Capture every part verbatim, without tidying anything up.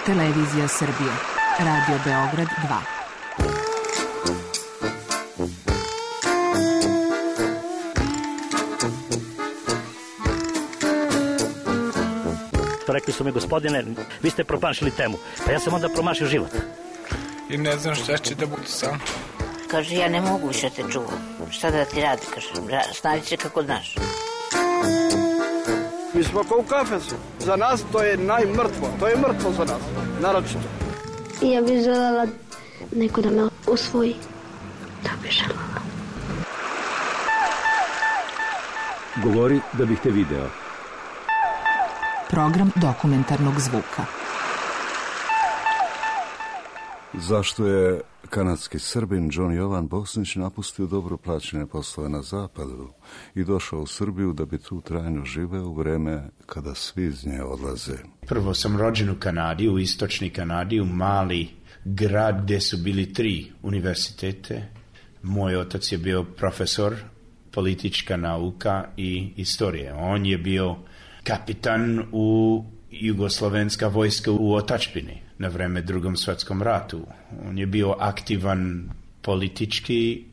Televizija Srbije, Radio Beograd dva. Rekli su mi, gospodine, vi ste promašili temu. Pa ja sam onda promašio život. I ne znam šta će da bude sam. Kaže, ja ne mogu više te čuvam. Šta da ti radi, kaže, snađi se kako znaš. Mi smo kao u kafesu. Za nas to je najmrtvo. To je mrtvo za nas, naročito. Ja bih željela neko da me usvoji. Da bih željela. Govori da bih te video. Program dokumentarnog zvuka. Zašto je kanadski Srbin John Jovan Bosnić napustio dobro plaćene poslove na zapadu i došao u Srbiju da bi tu trajno živeo u vreme kada svi iz nje odlaze? Prvo sam rođen u Kanadi, u istočni Kanadi, u mali grad gdje su bili tri univerzitete. Moj otac je bio profesor politička nauka i istorije. On je bio kapitan u jugoslovenska vojska u otadžbini na vreme Drugom svjetskom ratu. On je bio aktivan politički,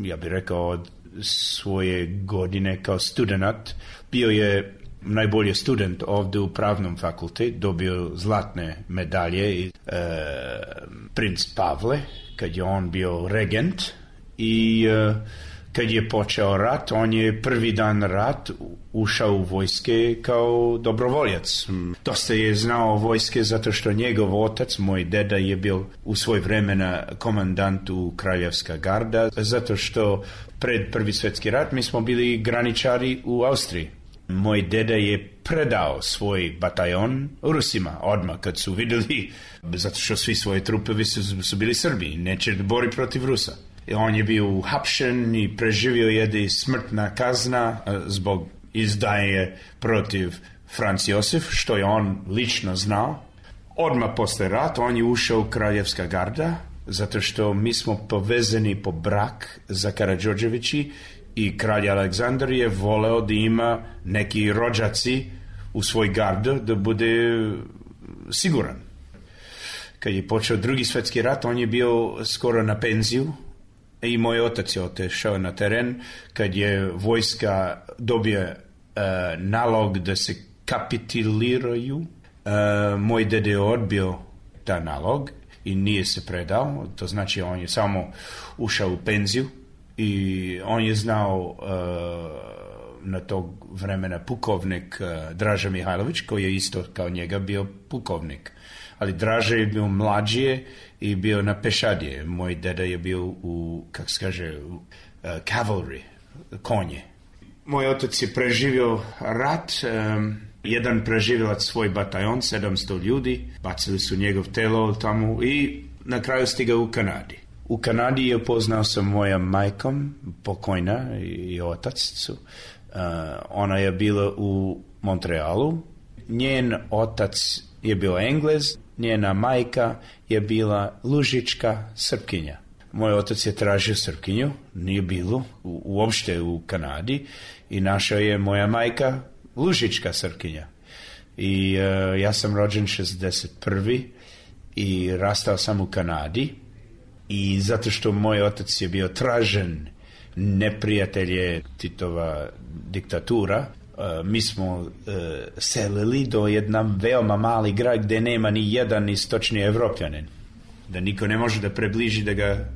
ja bih rekao, od svoje godine kao student. Bio je najbolji student ovdje u pravnom fakultetu, dobio zlatne medalje i e, princ Pavle, kad je on bio regent, i e, kad je počeo rat, on je prvi dan rat ušao u vojske kao dobrovoljac. Dosta je znao vojske zato što njegov otac, moj deda, je bio u svoj vremena komandant u Kraljevska garda, zato što pred prvi svjetski rat mi smo bili graničari u Austriji. Moj deda je predao svoj bataljon Rusima odmah kad su vidjeli, zato što svi svoje trupevi su, su bili Srbi, neće bori protiv Rusa. On je bio uhapšen i preživio je smrtna kazna zbog izdaje protiv Franz Josef, što je on lično znao. Odmah posle rata on je ušao u Kraljevska garda, zato što mi smo povezani po brak za Karađorđevići i kralj Aleksandar je voleo da ima neki rođaci u svoj gard da bude siguran. Kad je počeo drugi svjetski rat, on je bio skoro na penziju, i moj otac je otišao na teren kad je vojska dobije uh, nalog da se kapituliraju. Uh, moj dede je odbio ta nalog i nije se predao, to znači on je samo ušao u penziju i on je znao uh, na tog vremena pukovnik uh, Draža Mihajlović, koji je isto kao njega bio pukovnik. Ali Draže je bio mlađije i bio na pešadije. Moj deda je bio u, kako se kaže, u uh, cavalry, konje. Moj otac je preživio rat, um, jedan preživjelac svoj bataljon, sedamsto ljudi, bacili su njegov telo tamo i na kraju stigao u Kanadi. U Kanadi je upoznao sam moja majkom, pokojna, i, i otac su. Uh, ona je bila u Montrealu. Njen otac je bio Englez, njena majka je bila lužička Srpkinja. Moj otac je tražio Srpkinju, nije bilo u, uopšte u Kanadi, i našao je moja majka lužička Srpkinja. I uh, ja sam rođen šezdeset prvi i rastao sam u Kanadi, i zato što moj otac je bio tražen, neprijatelj je Titova diktatura, Uh, mi smo uh, selili do jedan veoma mali grad gdje nema ni jedan istočni Evropljanin, da niko ne može da prebliži da ga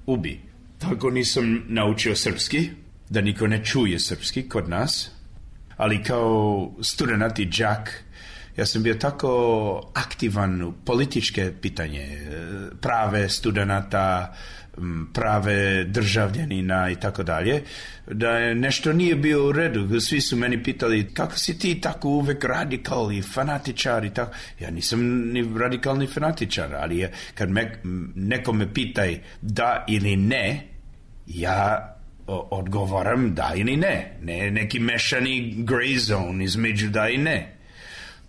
ubi. Tako nisam naučio srpski, da niko ne čuje srpski kod nas, ali kao student i đak ja sam bio tako aktivan u političke pitanje, prave studenta, prave državljanina i tako dalje, da nešto nije bio u redu. Svi su meni pitali, kako si ti tako uvek radikal i fanatičar i tako. Ja nisam ni radikalni fanatičar, ali je, kad me, neko me pitaj da ili ne, ja odgovaram da ili ne. Ne neki mešani gray zone između da i ne.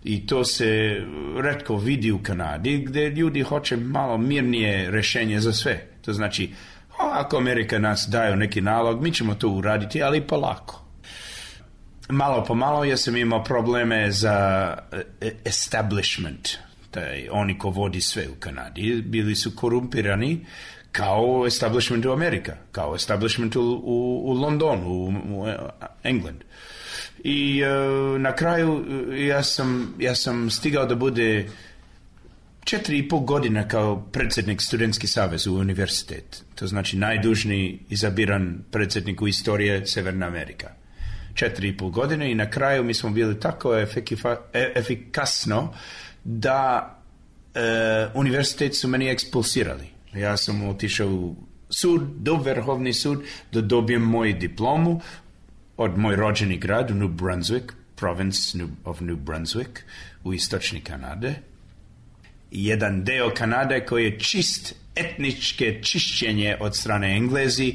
I to se retko vidi u Kanadi, gdje ljudi hoće malo mirnije rješenje za sve. To znači, ako Amerika nas daju neki nalog, mi ćemo to uraditi, ali polako. Malo po malo ja sam imao probleme za establishment. Taj, oni ko vodi sve u Kanadi bili su korumpirani kao establishment u Amerika, kao establishment u, u, u Londonu, u, u England. I uh, na kraju ja sam, ja sam stigao da bude četiri i pol godina kao predsjednik Studentski savez u univerzitet. To znači najdužniji izabiran predsjednik u istoriji Severna Amerika. Četiri i pol godine i na kraju mi smo bili tako efikifa, e, efikasno da e, univerzitet su meni ekspulsirali. Ja sam otišao u sud, do Vrhovni sud, da dobijem moju diplomu od moj rođeni grad u New Brunswick, province of New Brunswick, u istočni Kanade. Jedan deo Kanade koji je čist etničke čišćenje od strane Englezi,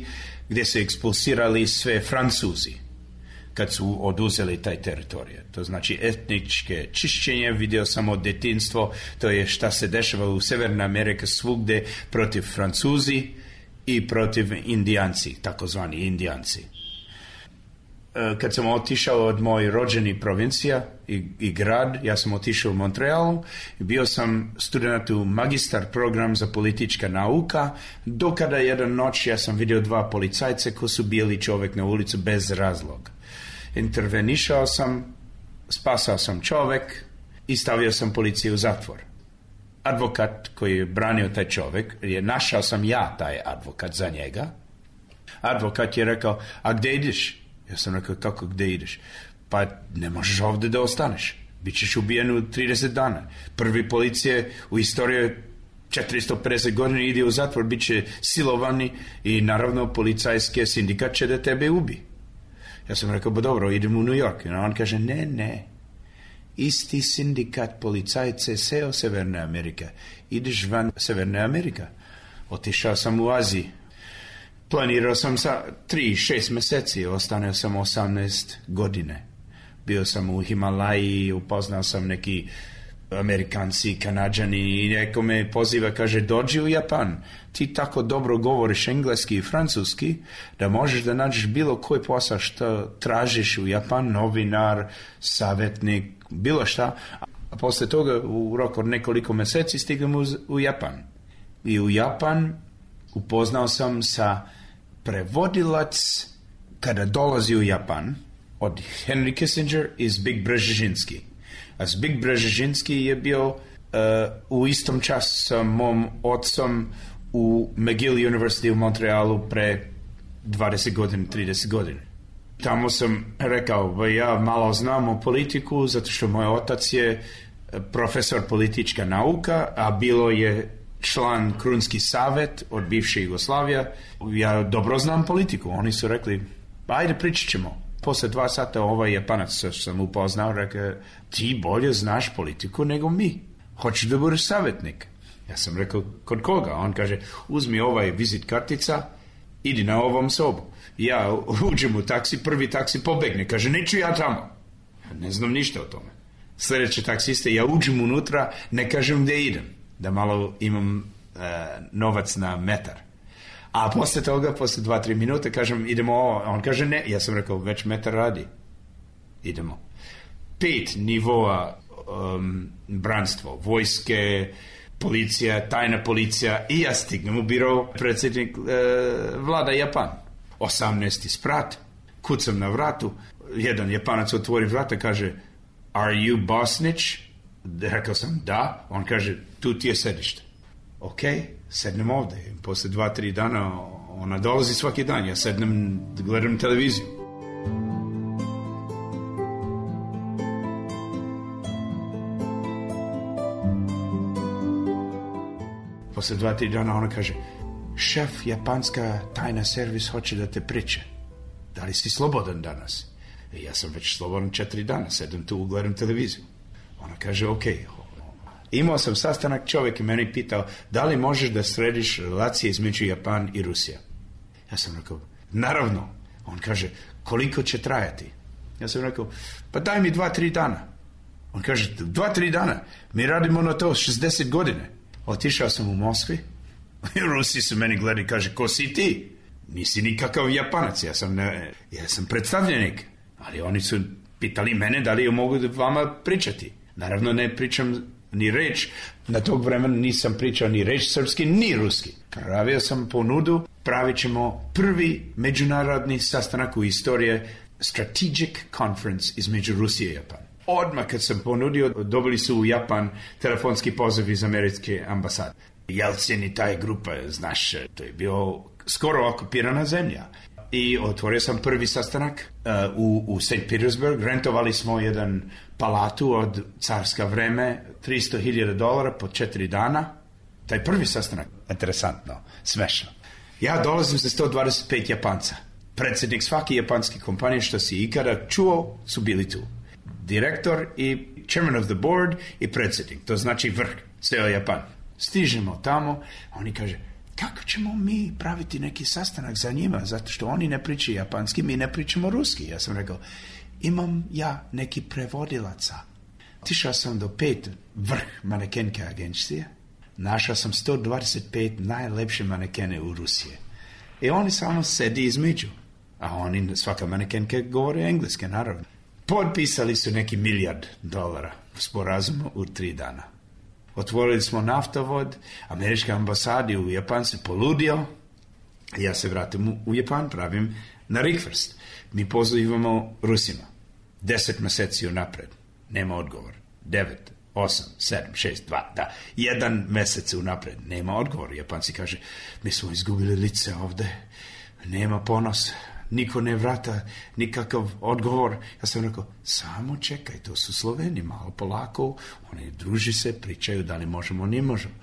gdje su ekspulsirali sve Francuzi kad su oduzeli taj teritorij. To znači etničke čišćenje, vidio sam od detinjstvo, to je šta se dešava u Severnoj Americi svugdje protiv Francuzi i protiv Indijanci, takozvani Indijanci. Kad sam otišao od moj rođeni provincija i, i grad, ja sam otišao u Montrealu i bio sam student u magistar program za politička nauka, do kada jedan noć ja sam vidio dva policajce koji su bili čovjek na ulicu bez razloga. Intervenišao sam, spasao sam čovjek i stavio sam policiju u zatvor. Advokat koji je branio taj čovjek, je našao sam ja taj advokat za njega. Advokat je rekao, a gdje ideš? Ja sam rekao, kako gdje ideš? Pa ne možeš ovdje da ostaneš. Bićeš ubijen u trideset dana. Prvi policije u istoriji četiristo pedeset godina ide u zatvor, bit će silovani i naravno policajske sindikat će da tebe ubi. Ja sam rekao, ba dobro, idem u New York. I on kaže, ne, ne. Isti sindikat policajce seo Severne Amerike. Ideš van Severne Amerika. Otišao sam u Aziji. Planirao sam sa tri, šest mjeseci, ostanio sam osamnaest godine. Bio sam u Himalaji, upoznao sam neki Amerikanci, Kanadžani i neko me poziva, kaže, dođi u Japan. Ti tako dobro govoriš engleski i francuski da možeš da nađeš bilo koji posao što tražiš u Japan, novinar, savjetnik, bilo šta. A posle toga u roku od nekoliko mjeseci stigam u, u Japan. I u Japan upoznao sam sa prevodilac kada dolazi u Japan od Henry Kissinger i Zbig Brzezinski. A Zbig Brzezinski je bio uh, u istom času sa mom otcom u McGill University u Montrealu pre dvadeset godina, trideset godina. Tamo sam rekao, ja malo znam o politiku, zato što moj otac je profesor politička nauka, a bilo je član Krunski savjet od bivše Jugoslavije. Ja dobro znam politiku. Oni su rekli, ajde pričat ćemo. Posle dva sata ovaj Japanac što sam upoznao rekao, ti bolje znaš politiku nego mi. Hoćeš da budeš savjetnik? Ja sam rekao, kod koga? On kaže, uzmi ovaj vizit kartica, idi na ovom sobu. Ja uđem u taksi, prvi taksi pobegne. Kaže, neću ja tamo. Ne znam ništa o tome. Sljedeće taksiste, ja uđem unutra, ne kažem gdje idem. Da malo imam uh, novac na metar. A posle toga, posle dva, tri minute, kažem, idemo ovo. On kaže, ne. Ja sam rekao, već metar radi. Idemo. Pet nivoa um, branstvo, vojske, policija, tajna policija i ja stignem u biro predsjednik uh, vlada Japan. osamnaesti sprat, kucam na vratu, jedan Japanac otvori vrata, kaže, are you Bosnić? Rekao sam, da. On kaže, tu ti je sedište. Ok, sednem ovdje. Posle dva, tri dana ona dolazi svaki dan. Ja sednem, gledam televiziju. Posle dva, tri dana ona kaže, šef japanska tajna servis hoće da te priče. Da li si slobodan danas? E, ja sam već slobodan četiri dana. Sedem tu, gledam televiziju. Ona kaže, ok. Imao sam sastanak, čovjek i meni pitao, da li možeš da središ relacije između Japan i Rusija? Ja sam rekao, naravno. On kaže, koliko će trajati? Ja sam rekao, pa daj mi dva, tri dana. On kaže, dva, tri dana? Mi radimo na to šezdeset godine. Otišao sam u Moskvi. Rusi su meni gledali, kaže, ko si ti? Nisi nikakav Japanac, ja sam, ne, ja sam predstavljenik. Ali oni su pitali mene da li mogu vama pričati. Naravno ne pričam ni reč. Na tog vremena nisam pričao ni reč srpski, ni ruski. Pravio sam ponudu, pravit ćemo prvi međunarodni sastanak u istorije, Strategic Conference između Rusije i Japana. Odmah kad sam ponudio, dobili su u Japan telefonski poziv iz američke ambasade. Jelcin i taj grupa, znaš, to je bio skoro okupirana zemlja. I otvorio sam prvi sastanak uh, u, u Saint Petersburg. Rentovali smo jedan palatu od carska vreme, tristo hiljada dolara po četiri dana. Taj prvi sastanak, interesantno, smešno. Ja dolazim za sto dvadeset pet Japanca. Predsjednik svake japanske kompanije što si ikada čuo su bili tu. Direktor i chairman of the board i predsjednik. To znači vrh, ceo Japan. Stižemo tamo, oni kaže, kako ćemo mi praviti neki sastanak za njima, zato što oni ne pričaju japanski, mi ne pričamo ruski. Ja sam rekao, imam ja neki prevodilaca. Tišao sam do pet vrh manekenke agencije, našao sam sto dvadeset pet najlepše manekene u Rusije. I oni samo sedi između, a oni, svaka manekenka govore engleske, naravno. Potpisali su neki milijard dolara sporazum u tri dana. Otvorili smo naftovod, američka ambasada u Japan se poludio, ja se vratim u Japan, pravim na Rikverst. Mi pozivamo Rusima. Deset meseci unapred. Nema odgovor. Devet, osam, sedam, šest, dva, da. Jedan mesec unapred. Nema odgovor. Japanci kaže, mi smo izgubili lice ovde. Nema ponos. Niko ne vrata nikakav odgovor. Ja sam rekao, samo čekaj, to su Sloveni, malo polako, oni druži se, pričaju da li možemo, ne možemo.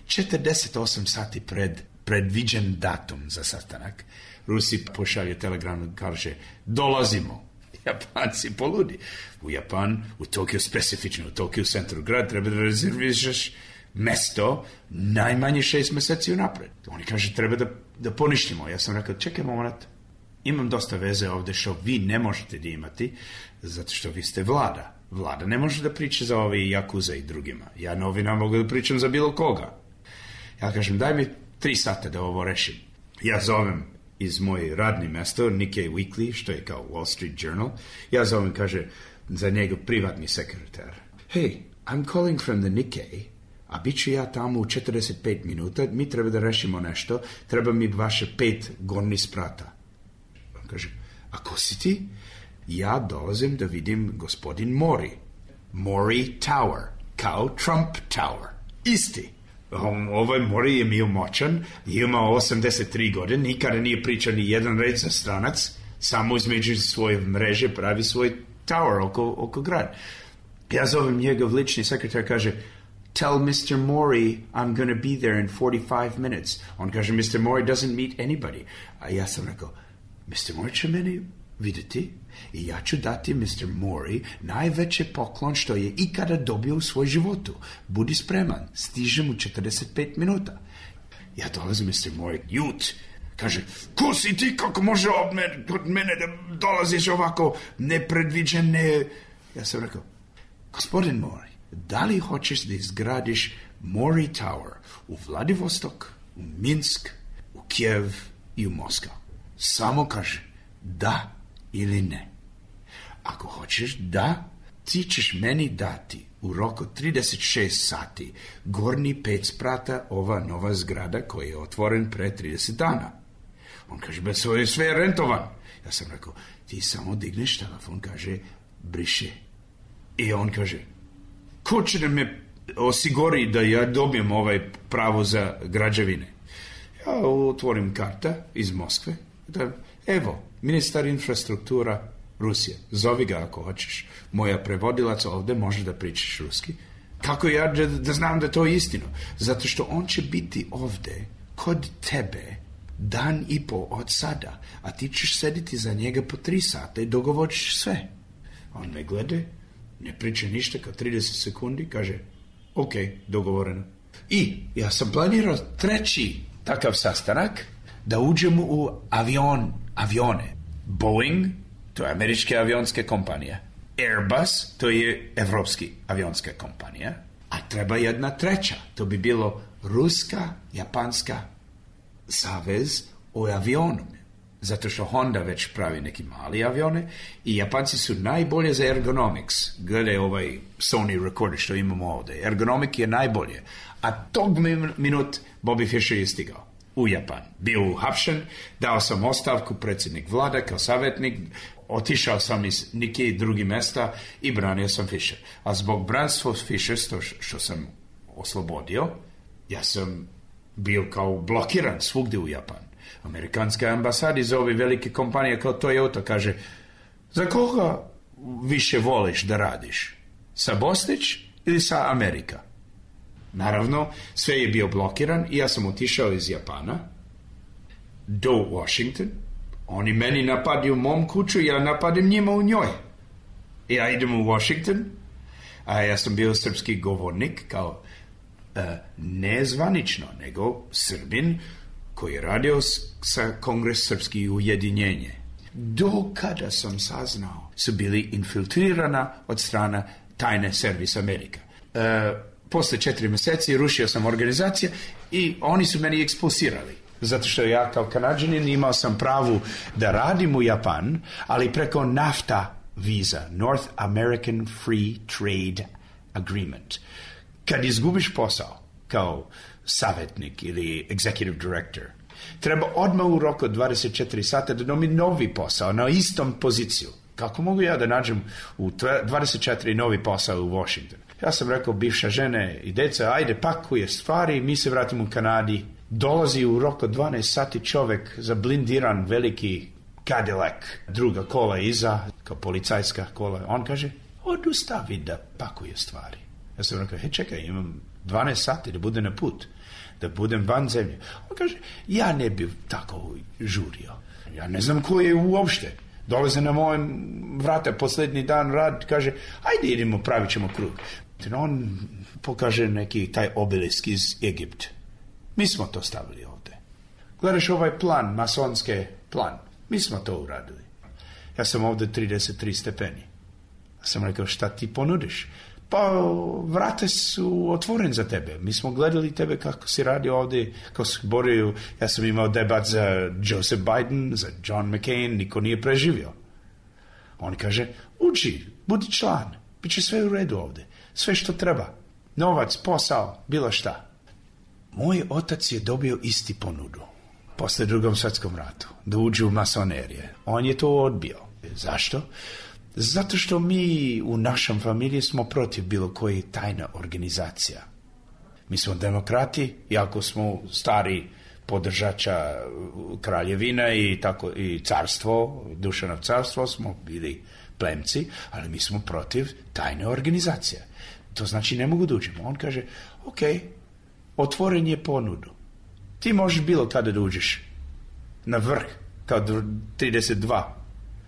četrdeset osam sati pred predviđen datum za sastanak, Rusi pošalju telegram, kaže, dolazimo. Japanci poludi. U Japan, u Tokiju specifično, u Tokiju centru grad, treba da rezerviraš mesto najmanje šest meseci unapred. Oni kaže, treba da, da poništimo. Ja sam rekao, čekaj moment, imam dosta veze ovde što vi ne možete da imati, zato što vi ste vlada. Vlada ne može da priča za ove Jakuza i drugima. Ja novina mogu da pričam za bilo koga. Ja kažem, daj mi tri sata da ovo rešim. Ja zovem iz moje radni mesto, Nikkei Weekly, što je kao Wall Street Journal. Ja zovem, kaže, za njegov privatni sekretar. Hey, I'm calling from the Nikkei, a bit ću ja tamo u četrdeset pet minuta, mi treba da rešimo nešto, treba mi vaše pet gornjih sprata. Kaže, a ko si ti? Ja dolazim da vidim gospodin Mori. Mori Tower, kao Trump Tower. Isti. Um, ovaj Mori je bio moćan, imao osamdeset tri godine, nikada nije pričao ni jedan red za stranac, samo između svoje mreže pravi svoj tower oko, oko grad. Ja zovem njegov lični sekretar, kaže, tell mister Mori I'm gonna be there in forty-five minutes. On kaže, mister Mori doesn't meet anybody. A ja sam rekao, mister Mori će meni vidjeti i ja ću dati mister Mori najveći poklon što je ikada dobio u svoj životu. Budi spreman, stižem u četrdeset pet minuta. Ja dolazim mister Mori, jut, kaže, ko si ti, kako može od mene, od mene da dolaziš ovako nepredviđene? Ja sam rekao, gospodin Mori, da li hoćeš da izgradiš Mori Tower u Vladivostok, u Minsk, u Kijev i u Moskva? Samo kaže da ili ne. Ako hoćeš da, ti ćeš meni dati u roku trideset šest sati gornji pet sprata ova nova zgrada koja je otvoren pre trideset dana. On kaže, bez svoje sve je rentovan. Ja sam rekao, ti samo digneš telefon, kaže, briše. I on kaže, ko će da me osiguri da ja dobijem ovaj pravo za građevine? Ja otvorim karta iz Moskve, da, evo, ministar infrastruktura Rusije, zovi ga ako hoćeš. Moja prevodilac ovde može da pričaš ruski. Kako ja da, da znam da to je istino? Zato što on će biti ovde kod tebe dan i po od sada, a ti ćeš sediti za njega po tri sata i dogovoriš sve. On me glede, ne priča ništa, kao trideset sekundi, kaže, ok, dogovoreno. I ja sam planirao treći takav sastanak, da uđemo u avion, avione. Boeing, to je američka avionska kompanija. Airbus, to je evropski avionska kompanija. A treba jedna treća. To bi bilo ruska, japanska savez o avionu. zato što Honda već pravi neki mali avione i Japanci su najbolje za ergonomics. Gledaj ovaj Sony recorder što imamo ovdje. Ergonomik je najbolje. A tog minut Bobby Fischer je stigao u Japan. Bio uhapšen, dao sam ostavku predsjednik vlade kao savjetnik, otišao sam iz nekih drugih mjesta i branio sam Fischer. A zbog branstva Fischer, što, što sam oslobodio, ja sam bio kao blokiran svugdje u Japan. Amerikanska ambasada iz ove velike kompanije kao Toyota kaže, za koga više voliš da radiš? Sa Bosnić ili sa Amerika? Naravno, sve je bio blokiran i ja sam otišao iz Japana do Washington. Oni meni napadaju mom kuću, ja napadam njima u njoj. Ja idem u Washington, a ja sam bio srpski govornik kao uh, ne zvanično, nego Srbin koji je radio sa Kongres Srpski ujedinjenje. Do kada sam saznao su bili infiltrirana od strana tajne servis Amerika. Uh, posle četiri mjeseci rušio sam organizacije i oni su meni ekspulsirali. Zato što ja kao Kanadžanin imao sam pravu da radim u Japan, ali preko NAFTA viza, North American Free Trade Agreement. Kad izgubiš posao kao savjetnik ili executive director, treba odmah u roku dvadeset četiri sata da dobi novi posao na istom poziciju. Kako mogu ja da nađem u dvadeset četiri novi posao u Washington? Ja sam rekao bivša žene i deca, ajde pakuje stvari, mi se vratimo u Kanadi. Dolazi u roku dvanaest sati čovjek za blindiran veliki Cadillac, druga kola iza, kao policajska kola. On kaže, odustavi da pakuje stvari. Ja sam rekao, he čekaj, imam dvanaest sati da budem na put, da budem van zemlje. On kaže, ja ne bi tako žurio. Ja ne znam ko je uopšte. Dolaze na mojem vrata posljednji dan rad, kaže, ajde idemo, pravit ćemo krug. On pokaže neki taj obelisk iz Egipta. Mi smo to stavili ovdje. Gledaš ovaj plan, masonske plan. Mi smo to uradili. Ja sam ovdje trideset tri stepeni. Ja sam rekao, šta ti ponudiš? Pa vrate su otvorene za tebe. Mi smo gledali tebe kako si radio ovdje, kako si borio. Ja sam imao debat za Joseph Biden, za John McCain, niko nije preživio. On kaže, uđi, budi član, bit će sve u redu ovdje. Sve što treba. Novac, posao, bilo šta. Moj otac je dobio isti ponudu posle drugom svjetskom ratu, da uđe u masonerije. On je to odbio. Zašto? Zato što mi u našem familiji smo protiv bilo koje tajna organizacija. Mi smo demokrati, iako smo stari podržača kraljevina i, tako, i carstvo, Dušanov carstvo, smo bili plemci, ali mi smo protiv tajne organizacije. To znači ne mogu da uđemo. On kaže, ok, otvoren je ponudu. Ti možeš bilo kada da uđeš na vrh, kao trideset dva.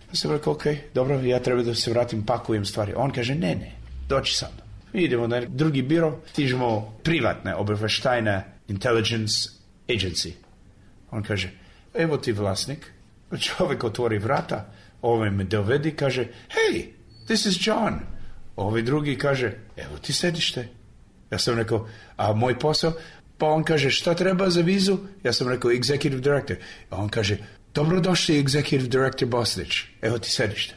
Ja sam rekao, ok, dobro, ja treba da se vratim, pakujem stvari. On kaže, ne, ne, doći sa mnom. Mi idemo na drugi biro, stižemo privatne obavještajne intelligence agency. On kaže, evo ti vlasnik. Čovjek otvori vrata, ovaj me dovedi, kaže, hey, this is John. Ovaj drugi kaže, evo ti sedište. Ja sam rekao, a moj posao? Pa on kaže, šta treba za vizu? Ja sam rekao, executive director. A on kaže, dobrodošli executive director Bosnić. Evo ti sedište.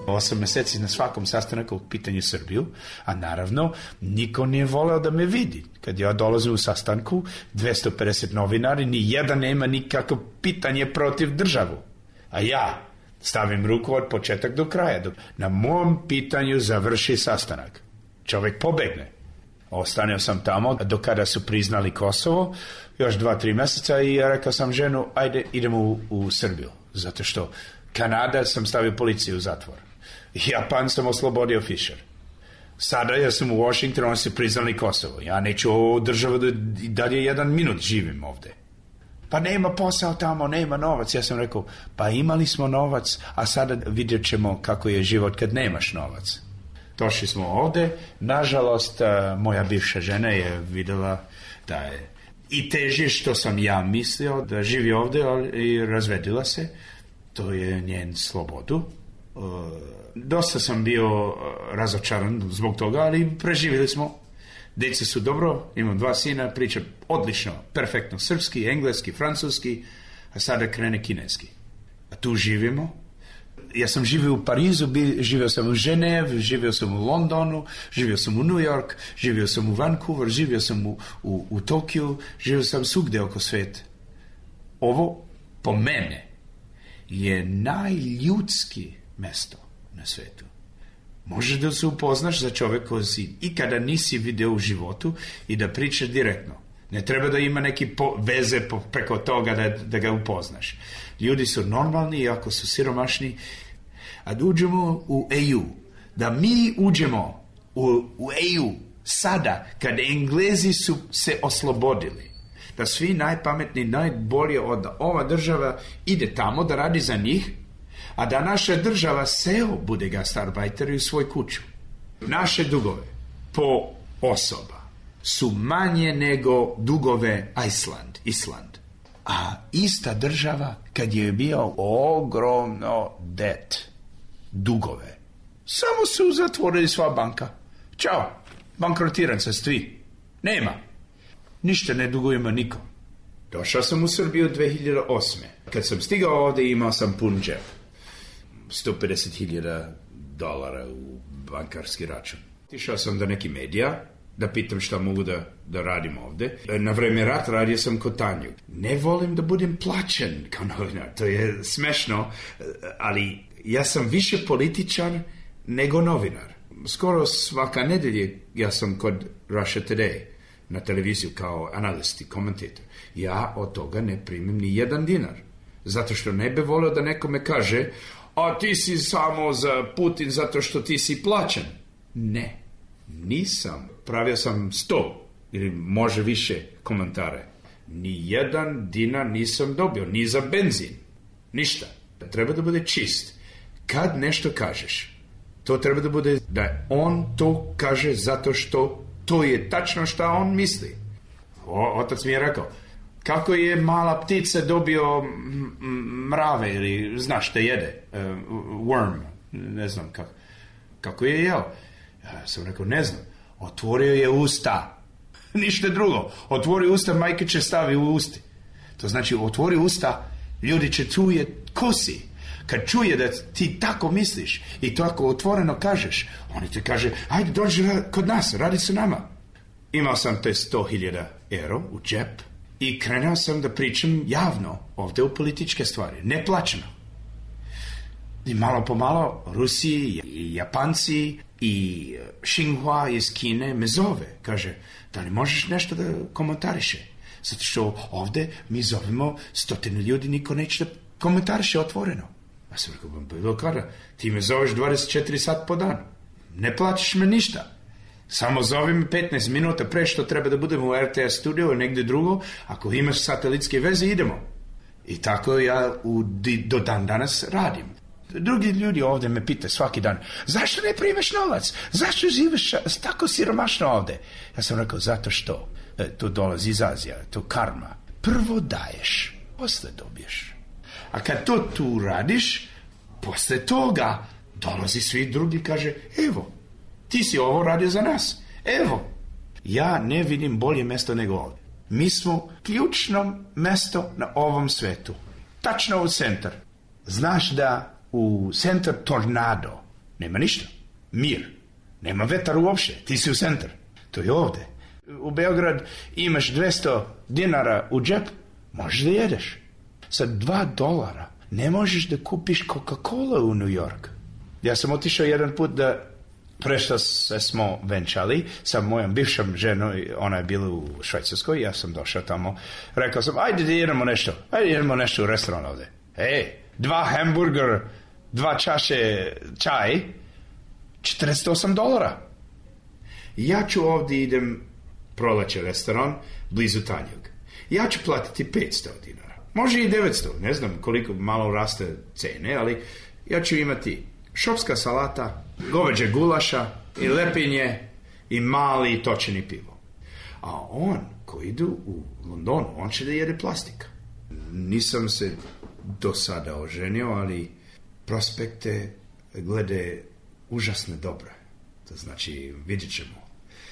Osam mjeseci na svakom sastanku u pitanju Srbiju, a naravno niko nije voleo da me vidi. Kad ja dolazim u sastanku, dvjesto pedeset novinari, ni jedan nema nikakvo pitanje protiv državu. A ja stavim ruku od početak do kraja. Dok na mom pitanju završi sastanak. Čovjek pobegne. Ostanio sam tamo do kada su priznali Kosovo, još dva, tri mjeseca i ja rekao sam ženu, ajde idemo u, u Srbiju. Zato što Kanada sam stavio policiju u zatvor. Japan sam oslobodio Fischer. Sada ja sam u Washingtonu, oni su priznali Kosovo. Ja neću ovu državu da dalje jedan minut živim ovdje. Pa nema posao tamo, nema novac. Ja sam rekao, pa imali smo novac, a sada vidjet ćemo kako je život kad nemaš novac. Došli smo ovdje. Nažalost, moja bivša žena je vidjela da je i teže što sam ja mislio da živi ovdje i razvedila se. To je njen slobodu. Dosta sam bio razočaran zbog toga, ali preživjeli smo. Djeca su dobro, imam dva sina, priča odlično, perfektno srpski, engleski, francuski, a sada krene kineski. A tu živimo. Ja sam živio u Parizu, živio sam u Ženev, živio sam u Londonu, živio sam u New York, živio sam u Vancouver, živio sam u, u, u Tokiju, živio sam svugdje oko svijeta. Ovo, po mene, je najljudski mjesto na svijetu. Možeš da se upoznaš za čovjek koji si ikada nisi vidio u životu i da pričaš direktno. Ne treba da ima neki po, veze po, preko toga da, da ga upoznaš. Ljudi su normalni, iako su siromašni. A da uđemo u E U, da mi uđemo u, u E U sada, kad Englezi su se oslobodili, da svi najpametniji, najbolje od ova država ide tamo da radi za njih, a da naša država seo bude gastarbajter u svoj kuću. Naše dugove po osoba su manje nego dugove Island, Island. A ista država, kad je bio ogromno debt, dugove, samo su zatvorili sva banka. Ćao, bankrotiran se svi. Nema. Ništa ne dugujemo nikom. Došao sam u Srbiju dve hiljade osme. Kad sam stigao ovdje, imao sam pun džep. sto pedeset hiljada dolara u bankarski račun. Išao sam do neki medija da pitam šta mogu da, da radim ovdje. Na vreme rata radio sam kod Tanju. Ne volim da budem plaćen kao novinar. To je smešno, ali ja sam više političan nego novinar. Skoro svaka nedelje ja sam kod Russia Today na televiziju kao analist i komentator. Ja od toga ne primim ni jedan dinar. Zato što ne bi volio da nekome kaže: a ti si samo za Putin zato što ti si plaćen. Ne, nisam. Pravio sam sto ili može više komentare. Ni jedan dinar nisam dobio, ni za benzin. Ništa. Treba da bude čist. Kad nešto kažeš, to treba da bude da on to kaže zato što to je tačno šta on misli. O, otac mi je rekao, kako je mala ptica dobio mrave ili znaš šta jede, uh, worm, ne znam kako, kako je jeo. Ja sam rekao, ne znam, otvorio je usta, ništa drugo, otvori usta, majke će stavi u usti. To znači, otvori usta, ljudi će čuje ko si. Kad čuje da ti tako misliš i tako otvoreno kažeš, oni ti kaže, ajde dođi kod nas, radi se nama. Imao sam te sto hiljada euro u džep i krenuo sam da pričam javno ovdje u političke stvari, neplaćeno. I malo po malo Rusi i Japanci i Xinhua iz Kine me zove. Kaže, da li možeš nešto da komentariše? Zato što ovdje mi zovemo stotine ljudi, niko neće da komentariše otvoreno. Ja sam rekao, bilo kada, ti me zoveš dvadeset četiri sat po dan. Ne plaćaš me ništa. Samo zovi me petnaest minuta pre što treba da budemo u R T S studiju ili negdje drugo. Ako imaš satelitske veze, idemo. I tako ja u, do dan danas radim. Drugi ljudi ovdje me pita svaki dan, zašto ne primeš novac? Zašto živiš tako siromašno ovdje? Ja sam rekao, zato što e, to dolazi iz Azija, to karma. Prvo daješ, posle dobiješ. A kad to tu radiš, posle toga dolazi svi drugi i kaže, evo, ti si ovo radio za nas. Evo, ja ne vidim bolje mjesto nego ovdje. Mi smo ključno mjesto na ovom svetu. Tačno u centar. Znaš da u centar tornado nema ništa. Mir. Nema vetar uopšte. Ti si u centar. To je ovdje. U Beograd imaš dvesta dinara u džep, možeš da jedeš. Sa dva dolara ne možeš da kupiš Coca-Cola u New York. Ja sam otišao jedan put da prešta se smo venčali sa mojom bivšom ženom, ona je bila u Švajcarskoj, ja sam došao tamo, rekao sam, ajde da jedemo nešto, ajde jedemo nešto u restoran ovdje. Ej, dva hamburger, dva čaše čaj, četrdeset osam dolara. Ja ću ovdje idem proleće restoran blizu Tanjug. Ja ću platiti petsto dinara. Može i devetsto, ne znam koliko malo raste cene, ali ja ću imati šopska salata, goveđe gulaša i lepinje i mali točeni pivo. A on, ko idu u Londonu, on će da jede plastika. Nisam se do sada oženio, ali prospekte glede užasne dobre. To znači, vidjet ćemo.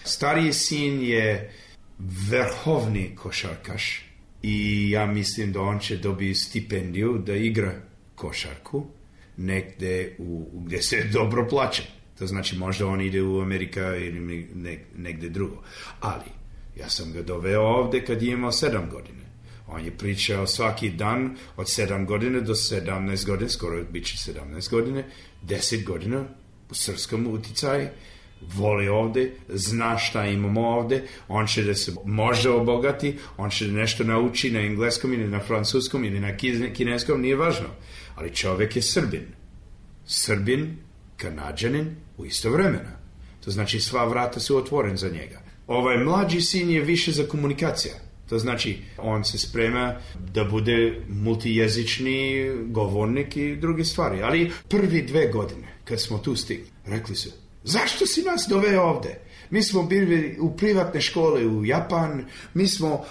Stariji sin je vrhovni košarkaš i ja mislim da on će dobiti stipendiju da igra košarku negde u, gdje se dobro plaća. To znači možda on ide u Amerika ili negde drugo. Ali ja sam ga doveo ovdje kad je imao sedam godine. On je pričao svaki dan od sedam godine do sedamnaest godine, skoro bit će sedamnaest godine, deset godina u srpskom uticaju, voli ovdje, zna šta imamo ovdje, on će da se možda obogati, on će da nešto nauči na engleskom ili na francuskom ili na kineskom, nije važno. Ali čovjek je Srbin. Srbin, Kanadžanin u isto vremena. To znači sva vrata su otvoren za njega. Ovaj mlađi sin je više za komunikacija. To znači on se sprema da bude multijezični govornik i druge stvari. Ali prvi dve godine kad smo tu stigli, rekli su, zašto si nas doveo ovde? Mi smo bili u privatne škole u Japan, mi smo uh,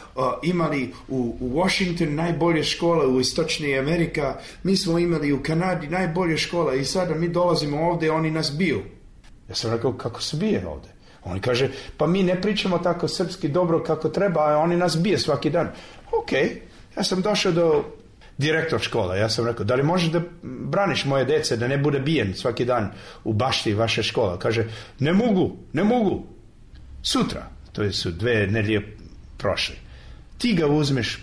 imali u, u Washington najbolje škole u Istočnoj Amerika, mi smo imali u Kanadi najbolje škole i sada mi dolazimo ovde, oni nas biju. Ja sam rekao, kako se bije ovde? Oni kaže, pa mi ne pričamo tako srpski dobro kako treba, a oni nas bije svaki dan. Ok, ja sam došao do direktor škola, ja sam rekao, da li možeš da braniš moje dece da ne bude bijen svaki dan u bašti vaše škola? Kaže, ne mogu, ne mogu. Sutra, to su dve nedelje prošle, ti ga uzmeš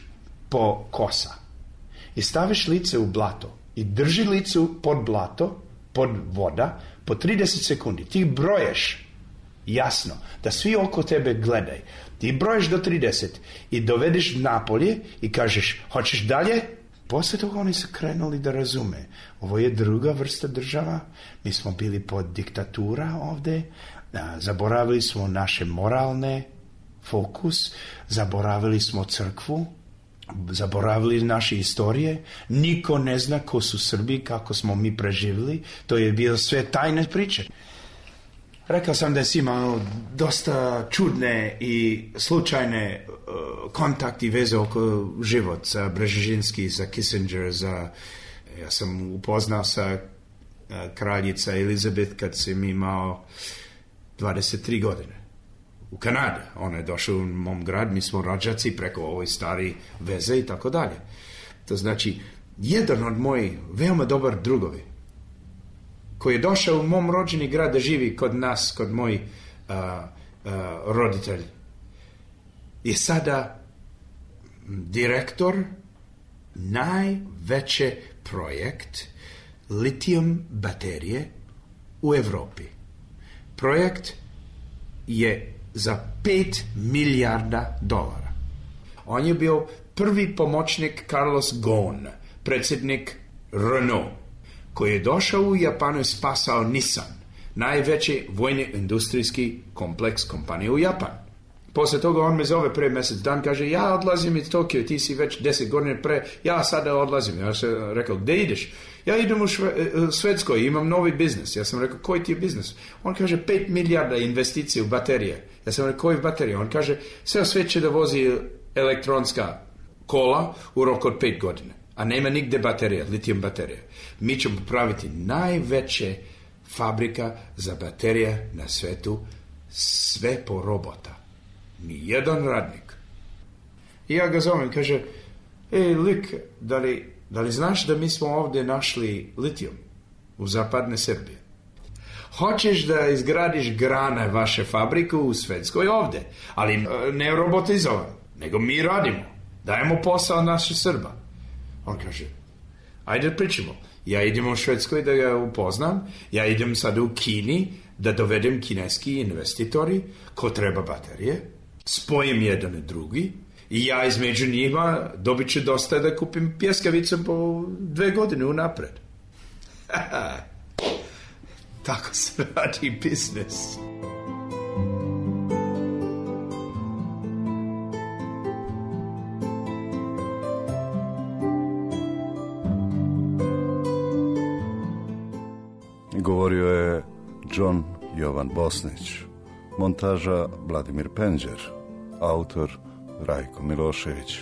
po kosa i staviš lice u blato i drži licu pod blato, pod voda, po trideset sekundi. Ti broješ jasno, da svi oko tebe gledaj. Ti broješ do trideset i dovedeš napolje i kažeš, hoćeš dalje? Poslije toga oni su krenuli da razume. Ovo je druga vrsta država, mi smo bili pod diktatura ovde, zaboravili smo naše moralne fokus, zaboravili smo crkvu, zaboravili naše istorije, niko ne zna ko su Srbi, kako smo mi preživjeli, to je bilo sve tajne priče. Rekao sam da si imao dosta čudne i slučajne uh, kontakti veze oko život za Brzezinski, za Kissinger, za... Ja sam upoznao sa uh, kraljica Elizabeth kad sam imao dvadeset tri godine. U Kanadi. Ona je došla u mom grad, mi smo rođaci preko ovoj stari veze i tako dalje. To znači, jedan od mojih veoma dobar drugovi, koji je došao u mom rođeni grad da živi kod nas, kod mojih uh, uh, roditelji, je sada direktor najveće projekt litijum baterije u Evropi. Projekt je za pet milijarda dolara. On je bio prvi pomoćnik Carlos Ghosn, predsjednik Renault, koji je došao u Japanu i spasao Nissan, najveći vojni industrijski kompleks kompanije u Japanu. Poslije toga on me zove pre mjesec dan, kaže, ja odlazim iz Tokio, ti si već deset godina pre, ja sada odlazim. Ja sam rekao, gdje ideš? Ja idem u Švedskoj, imam novi biznis. Ja sam rekao, koji ti je biznis? On kaže, pet milijarda investicije u baterije. Ja sam rekao, koji baterije? On kaže, sve svijet će da vozi elektronska kola u roku od pet godina, a nema nigde baterija, litijum baterija. Mi ćemo praviti najveće fabrika za baterije na svetu, sve po robota. Nijedan radnik. I ja ga zovem, kaže, ej, lik, da li, da li znaš da mi smo ovdje našli litijum u zapadne Srbije? Hoćeš da izgradiš grane vaše fabrike u Švedskoj ovdje, ali ne robotizovan, nego mi radimo, dajemo posao naše Srba. On kaže, ajde pričamo. Ja idem u Švedskoj da ga upoznam, ja idem sad u Kini da dovedem kineski investitori ko treba baterije, spojim jedan i drugi i ja između njima dobit ću dosta da kupim pjeskavice po dve godine unapred. Tako se radi biznis. Govorio je John Jovan Bosnić, montaža Vladimir Penđer, autor Rajko Milošević.